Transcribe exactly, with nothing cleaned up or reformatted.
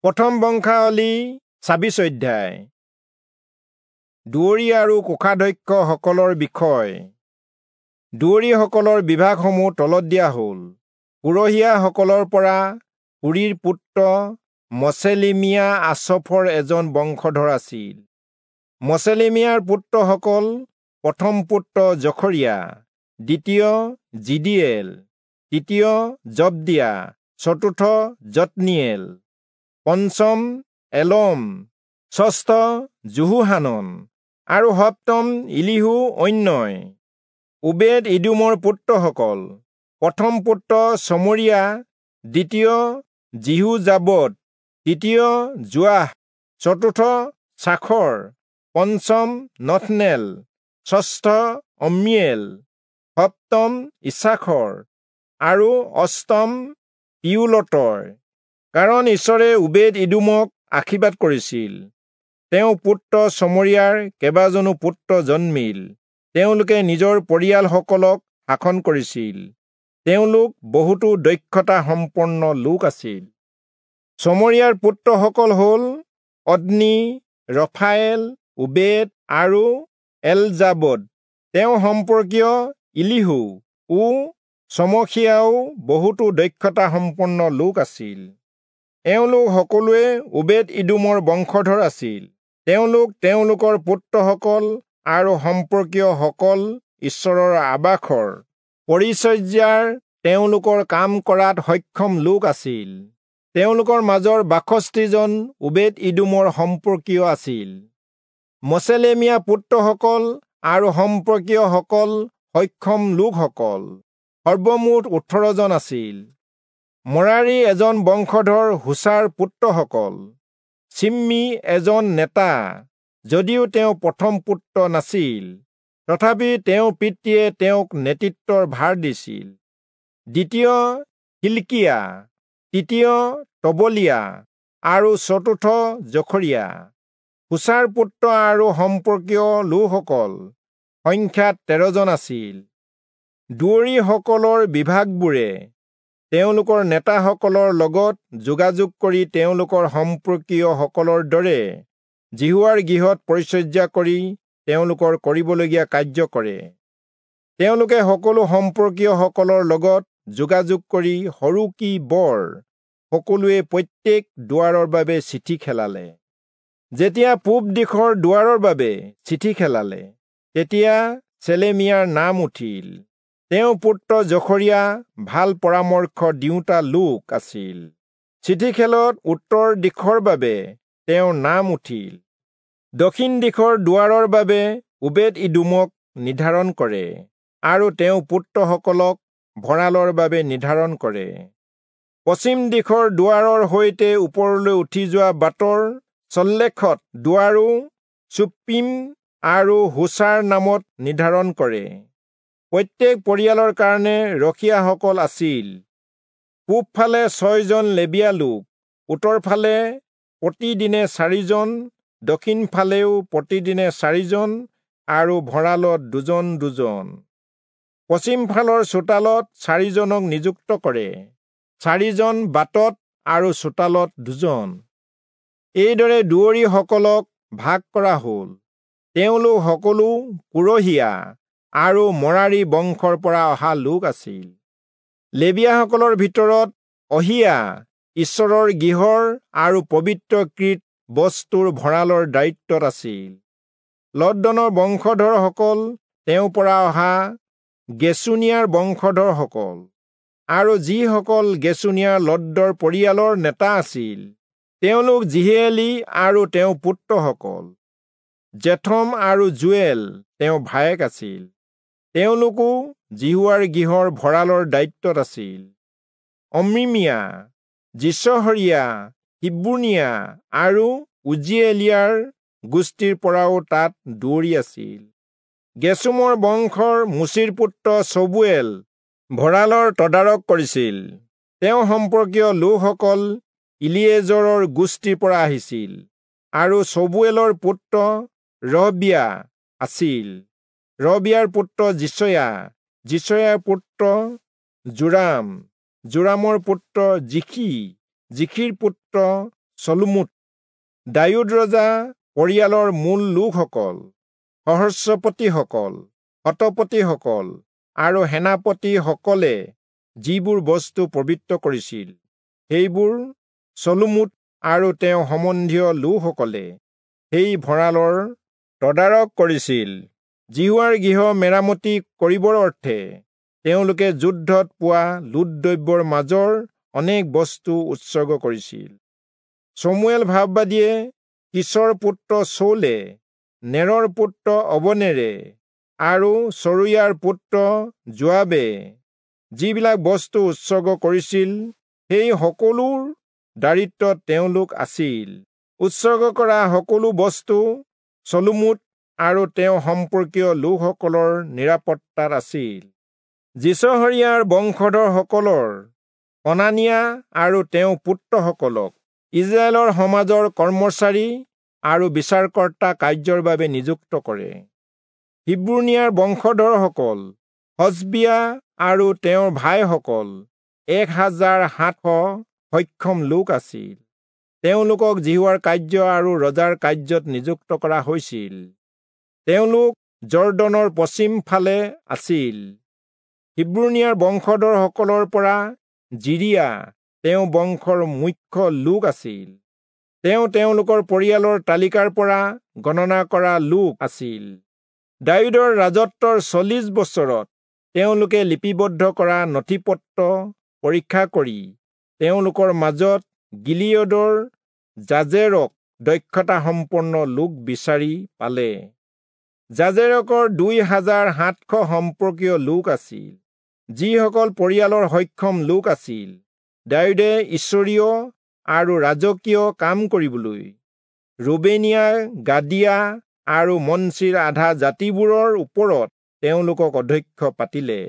প্ৰথম বংশাৱলী ছাব্বিশ অধ্যায়। দুৱৰী আৰু কোষাধ্যক্ষসকলৰ বিষয়। দুৱৰীসকলৰ বিভাগসমূহ তলত দিয়া হ'ল। পুৰহীয়াসকলৰ পৰা পুৰীৰ পুত্ৰ মচেলিমিয়া আচফৰ এজন বংশধৰ আছিল। মচেলিমিয়াৰ পুত্ৰসকল প্ৰথম পুত্ৰ জখৰিয়া, দ্বিতীয় জিদিয়েল, তৃতীয় জবদিয়া, চতুৰ্থ জটনিয়েল, পঞ্চম এলম, ষষ্ঠ যোহোহানন আৰু সপ্তম ইলিহু অন্যয়। ওবেদ ইদোমৰ পুত্ৰসকল প্ৰথম পুত্ৰ চমৰিয়া, দ্বিতীয় যিহোজাবদ, তৃতীয় যোৱাহ, চতুৰ্থ চাখৰ, পঞ্চম নথনেল, ষষ্ঠ অম্মিয়েল, সপ্তম ইছাখৰ আৰু অষ্টম পিউলতয়। কাৰণ ঈশ্বৰে ওবেদ ইদোমক আশীৰ্বাদ কৰিছিল। তেওঁ পুত্ৰ চমৰিয়াৰ কেইবাজনো পুত্ৰ জন্মিল। তেওঁলোকে নিজৰ পৰিয়ালসকলক শাসন কৰিছিল। তেওঁলোক বহুতো দক্ষতা সম্পন্ন লোক আছিল। চমৰিয়াৰ পুত্ৰসকল হ'ল অদ্নি, ৰফায়েল, ওবেদ আৰু এলজাবদ। তেওঁ সম্পৰ্কীয় ইলিহু ও চমখিয়াও বহুতো দক্ষতা সম্পন্ন লোক আছিল। এওঁলোক সকলোৱে ওবেদ ইদোমৰ বংশধৰ আছিল। তেওঁলোক তেওঁলোকৰ পুত্ৰসকল আৰু সম্পৰ্কীয়সকল ঈশ্বৰৰ আবাসৰ পৰিচৰ্যাৰ তেওঁলোকৰ কাম কৰাত সক্ষম লোক আছিল। তেওঁলোকৰ মাজৰ বাষষ্ঠিজন ওবেদ ইদোমৰ সম্পৰ্কীয় আছিল। মচেলেমিয়া পুত্ৰসকল আৰু সম্পৰ্কীয়সকল সক্ষম লোকসকল সৰ্বমুঠ ওঠৰজন আছিল। মৰাৰী এজন বংশধৰ হুচাৰ পুত্ৰসকল চিম্মি এজন নেতা, যদিও তেওঁ প্ৰথম পুত্ৰ নাছিল, তথাপি তেওঁৰ পিতৃয়ে তেওঁক নেতৃত্বৰ ভাৰ দিছিল। দ্বিতীয় হিলকিয়া, তৃতীয় তবলিয়া আৰু চতুৰ্থ জখৰিয়া। হুচাৰ পুত্ৰ আৰু সম্পৰ্কীয় লোকসকল সংখ্যাত তেৰজন আছিল। দুৱৰীসকলৰ বিভাগবোৰে তেওঁলোকৰ নেতাসকলৰ লগত যোগাযোগ কৰি তেওঁলোকৰ সম্পৰ্কীয়সকলৰ দৰে যিহোৱাৰ গৃহত পৰিচৰ্যা কৰি তেওঁলোকৰ কৰিবলগীয়া কাৰ্য কৰে। তেওঁলোকে সকলো সম্পৰ্কীয়সকলৰ লগত যোগাযোগ কৰি সৰু কি বৰ সকলোৱে প্ৰত্যেক দুৱাৰৰ বাবে চিঠি খেলালে। যেতিয়া পূব দিশৰ দুৱাৰৰ বাবে চিঠি খেলালে, তেতিয়া চেলেমিয়াৰ নাম উঠিল। তেওঁ পুত্ৰ জখৰিয়া ভাল পৰামৰ্শ দিওঁতা লোক আছিল। চিঠি খেলত উত্তৰ দিশৰ বাবে তেওঁৰ নাম উঠিল। দক্ষিণ দিশৰ দুৱাৰৰ বাবে ওবেদ ইদোমক নিৰ্ধাৰণ কৰে আৰু তেওঁ পুত্ৰসকলক ভঁৰালৰ বাবে নিৰ্ধাৰণ কৰে। পশ্চিম দিশৰ দুৱাৰৰ সৈতে ওপৰলৈ উঠি যোৱা বাটৰ চল্লেখত দুৱাৰো চুপ্পিম আৰু হুচাৰ নামত নিৰ্ধাৰণ কৰে। প্ৰত্যেক পৰিয়ালৰ কাৰণে ৰখীয়াসকল আছিল। পূবফালে ছয়জন লেবীয়া লোক, উত্তৰফালে প্ৰতিদিনে চাৰিজন, দক্ষিণফালেও প্ৰতিদিনে চাৰিজন আৰু ভঁৰালত দুজন দুজন। পশ্চিমফালৰ চোতালত চাৰিজনক নিযুক্ত কৰে, চাৰিজন বাটত আৰু চোতালত দুজন। এইদৰে দুৱৰীসকলক ভাগ কৰা হ'ল। তেওঁলোক সকলো পুৰহীয়া আৰু মৰাৰী বংশৰ পৰা অহা লোক আছিল। লেবীয়াসকলৰ ভিতৰত অহিয়া ঈশ্বৰৰ গৃহৰ আৰু পবিত্ৰকৃত বস্তুৰ ভঁৰালৰ দায়িত্বত আছিল। লদ্দনৰ বংশধৰসকল তেওঁৰ পৰা অহা গেচুনিয়াৰ বংশধৰসকল আৰু যিসকল গেচুনিয়াৰ লদ্দৰ পৰিয়ালৰ নেতা আছিল, তেওঁলোক জিহেলি আৰু তেওঁৰ পুত্ৰসকল। জেথম আৰু জুৱেল তেওঁৰ ভায়েক আছিল। তেওঁলোকো যিহোৱাৰ গৃহৰ ভঁৰালৰ দায়িত্বত আছিল। অম্মিমিয়া, যিচহৰীয়া, হিব্ৰোনীয়া আৰু উজ্জীয়েলীয়াৰ গোষ্ঠীৰ পৰাও তাত দুৱৰী আছিল। গেচোমৰ বংশৰ মোচিৰ পুত্ৰ চবুৱেল ভঁৰালৰ তদাৰক কৰিছিল। তেওঁ সম্পৰ্কীয় লোকসকল ইলিয়েজৰৰ গোষ্ঠীৰ পৰা আহিছিল আৰু চবুৱেলৰ পুত্ৰ ৰহবিয়া আছিল। ৰহবিয়াৰ পুত্ৰ যিচয়া, যিচয়াৰ পুত্ৰ যোৰাম, যোৰামৰ পুত্ৰ জিখি, জিখিৰ পুত্ৰ চলোমোত। দায়ূদ ৰজা পৰিয়ালৰ মূল লোকসকল, সহস্ৰপতিসকল, শতপতিসকল আৰু সেনাপতিসকলে যিবোৰ বস্তু পবিত্ৰ কৰিছিল, সেইবোৰ চলোমোত আৰু তেওঁ সম্বন্ধীয় লোকসকলে সেই ভঁৰালৰ তদাৰক কৰিছিল। যিহোৱাৰ গৃহ মেৰামতি কৰিবৰ অৰ্থে তেওঁলোকে যুদ্ধত পোৱা লুট দ্ৰব্যৰ মাজৰ অনেক বস্তু উৎসৰ্গ কৰিছিল। চমুৱেল ভাববাদীয়ে কিচৰ পুত্ৰ চৌলে, নেৰৰ পুত্ৰ অবনেৰে আৰু চৰুয়াৰ পুত্ৰ যোৱাবে যিবিলাক বস্তু উৎসৰ্গ কৰিছিল, সেই সকলোৰ দায়িত্বত তেওঁলোক আছিল। উৎসৰ্গ কৰা সকলো বস্তু চলোমোত আৰু তেওঁ সম্পৰ্কীয় লোকসকলৰ নিৰাপত্তাত আছিল। যিচহৰীয়াৰ বংশধৰসকলৰ অনানিয়া আৰু তেওঁ পুত্ৰসকলক ইজৰাইলৰ সমাজৰ কৰ্মচাৰী আৰু বিচাৰকৰ্তা কাৰ্যৰ বাবে নিযুক্ত কৰে। হিব্ৰোণীয়াৰ বংশধৰসকল হচবিয়া আৰু তেওঁৰ ভাইসকল এক হাজাৰ সাতশ সক্ষম লোক আছিল। তেওঁলোকক যিহোৱাৰ কাৰ্য আৰু ৰজাৰ কাৰ্যত নিযুক্ত কৰা হৈছিল। তেওঁলোক জৰ্দনৰ পশ্চিম ফালে আছিল। হিব্ৰোণীয়াৰ বংশধৰসকলৰ পৰা জিৰিয়া তেওঁ বংশৰ মুখ্য লোক আছিল। তেওঁ তেওঁলোকৰ পৰিয়ালৰ তালিকাৰ পৰা গণনা কৰা লোক আছিল। দায়ূদৰ ৰাজত্বৰ চল্লিশ বছৰত তেওঁলোকে লিপিবদ্ধ কৰা নথিপত্ৰ পৰীক্ষা কৰি তেওঁলোকৰ মাজত গিলিয়দৰ যাজেৰক দক্ষতা সম্পন্ন লোক বিচাৰি পালে। যাজেৰকৰ দুই হাজাৰ সাতশ সম্পৰ্কীয় লোক আছিল, যিসকল পৰিয়ালৰ সক্ষম লোক আছিল। দায়ূদে ঈশ্বৰীয় আৰু ৰাজকীয় কাম কৰিবলৈ ৰুবেনীয়া, গাদিয়া আৰু মনচিৰ আধা জাতিবোৰৰ ওপৰত তেওঁলোকক অধ্যক্ষ পাতিলে।